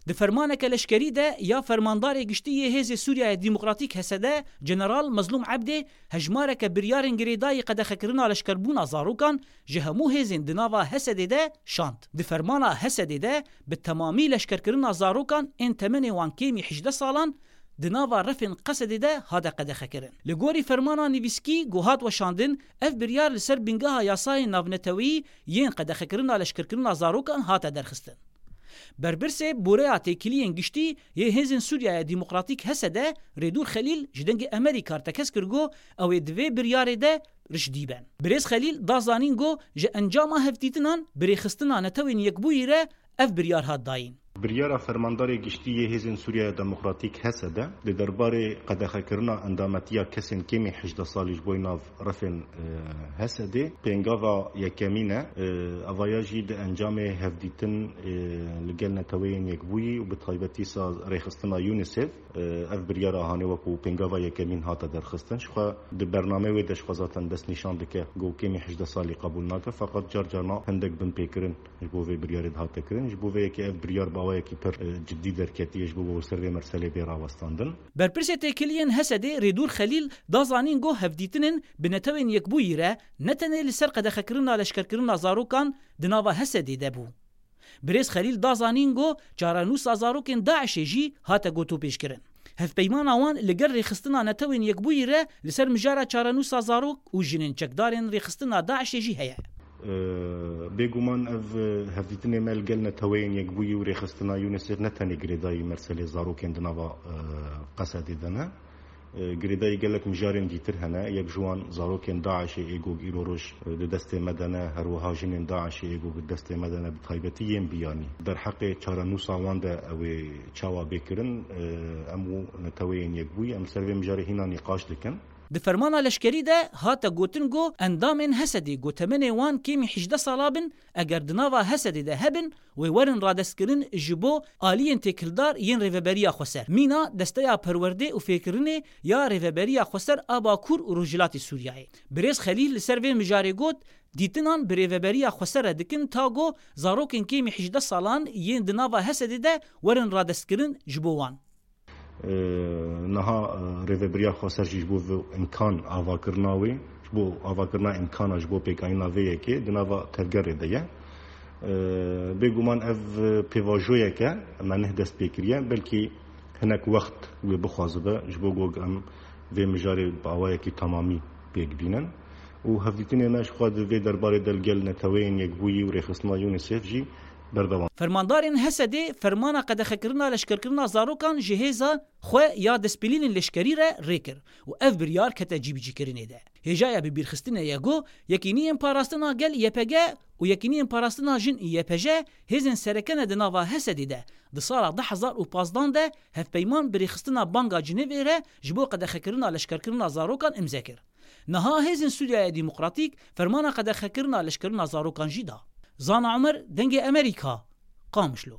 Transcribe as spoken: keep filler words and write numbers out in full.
Di fermaneke leşkerî de ya Fermandarê Giştî yê Hêzê Sûriyaya Demokratîk, H S D, General Mezlûm Ebdê hejmareke biryarên girêdayî qedexekirina leşkerbûna zarokan ji hemû hêzên di nava H S D'ê de şand. Di fermana H S D'ê de bi temamî leşkerkirina zarokan ên temenê wan kêmî hejdeh salan di nava refên Qesedê de hate qedexekirin. Li gorî fermana nivîskî ku hat weşandin, ev biryar li ser bingeha yasayên navneteweyî yên qedexekirina leşkerkirina zarokan hate derxistin. Berpirsê Boreya Têkiliyên Giştî yê Hêzên Sûriyaya Demokratîk, H S D, Rêdûr Xelîl ji Dengê Amerîka re tekez kir ku ew ê di vê biryarê de rijdî ben. Birêz Xelîl da zanîn ku ji encama hevdîtinan bi rêxistina Netewên Yekbûyî re ev biryar hat dayîn. Biryara Fermandarê Giştî yê Hêzên Sûriyaya Demokratîk, H S D, di derbarê qedexekirina endametiya kesên kêmî hejdeh salî ji bo nav refên, e, H S D'ê pêngava yekemîn e. E, evaya jî di encamê hevdîtin, e, li gel Neteweyên Yekbûyî û bi taybetî sa rêxistina UNICEF, e, ev biryara hanê wekû pêngava yekemîn hate derxistin. Jixwe di bernameyê wê de jixwe zaten destnîşan dike ku kêmî hejdeh salî qebûl nake, feqet car carna hindek binpêkirin ji bo vê biryarê dihate kirin. Ji bo vê yekê ev biryar bi awayekî pir, e, cidî derketiye ji bo ku ser vê meselê bê rawestandin. Berpirsê Têkiliyên H S D'ê Rêdûr Xelîl da zanîn ku hevdîtinên bi Netewên Yekbûyî re ne tenê li ser qedexekirina leşkerkirina zarokan di nava H S D'ê de bû. Birêz Xelîl da zanîn ku çarenûsa zarokên DAIŞ'ê jî hate gotûpêşkirin. Hevpeymana wan li gel rêxistina Netewên Yekbûyî re li ser mijara çarenûsa zarok û jinên çekdarên rêxistina DAIŞ'ê jî heye. E, bêguman ev, e, hevdîtinê me li gel Neteweyên Yekbûyî û rêxistina UNICEF ne tenê girêdayî meselê zarokên di nava, e, Qesedê de ne. E, girêdayî gelek mijarên dîtir hene. Yek ji wan zarokên DAIŞ'ê ê ku îro roj, e, di destê me de ne, her wiha jinên DAIŞ'ê ê ku di destê me de ne, bi taybetî yên biyanî. Derheqê çarenûsa wan de ew ê çawa bê kirin, e, em û Neteweyên Yekbûyî, em ser vê mijarê hîna nîqaş dikin. Di fermana leşkerî de hate gotin ku endamên H S D'ê ku temenê wan kêmî hejdeh sala bin, eger di nava H S D'ê de hebin, wê werin radestkirin ji bo aliyên têkildar yên Rêveberiya Xweser, mîna Desteya Perwerdê û Fêrkirinê ya Rêveberiya Xweser a Bakur û Rojhilatê Sûriyeyê. Birêz Xelîl li ser vê mijarê got, dîtinan bi Rêveberiya Xweser re dikin ta ku zarokên kêmî hejdeh salan yên di nava H S D'ê de werin radestkirin ji bo wan. E, niha, e, Rêveberiya Xweser jî ji bo vê imkan avakirina wê, ji bo avakirina imkana ji bo pêkanîna vê yekê di nava tevgerê de ye. E, bêguman ev pêvajoyek e, me neh dest pê kiriye, belkî hinek wext wê bixwazibe ji bo ku em vê mijarê bi awayekî temamî pêk bînin. Û hevdîtinê me ji xwe di vê derbarê de li gel Neteweyên Yekbûyî û Rêxistina UNICEF jî berdewam. Fermandarên H S D'ê fermana qedexekirina leşkerkirina zarokan ji hêza xwe ya destpêlînên leşkerî re rê kir û ev biryar kete cîbicîkirinê de. Hêjaya bibîrxistinê ye ku Yekîniyên Parastina Gel, Y P G, û Yekîniyên Parastina Jin, Y P J, hêzên sereke ne di nava H S D'ê de di sala du hezar û pazdeh de hevpeyman bi rêxistina Banga Cinêvê re ji bo qedexekirina leşkerkirina zarokan imze kir. Niha Hêzên Sûriyaya Demokratîk fermana qedexekirina leşkerina zarokan jî da. Zana Omer, Dengê Amerîka, Qamişlo.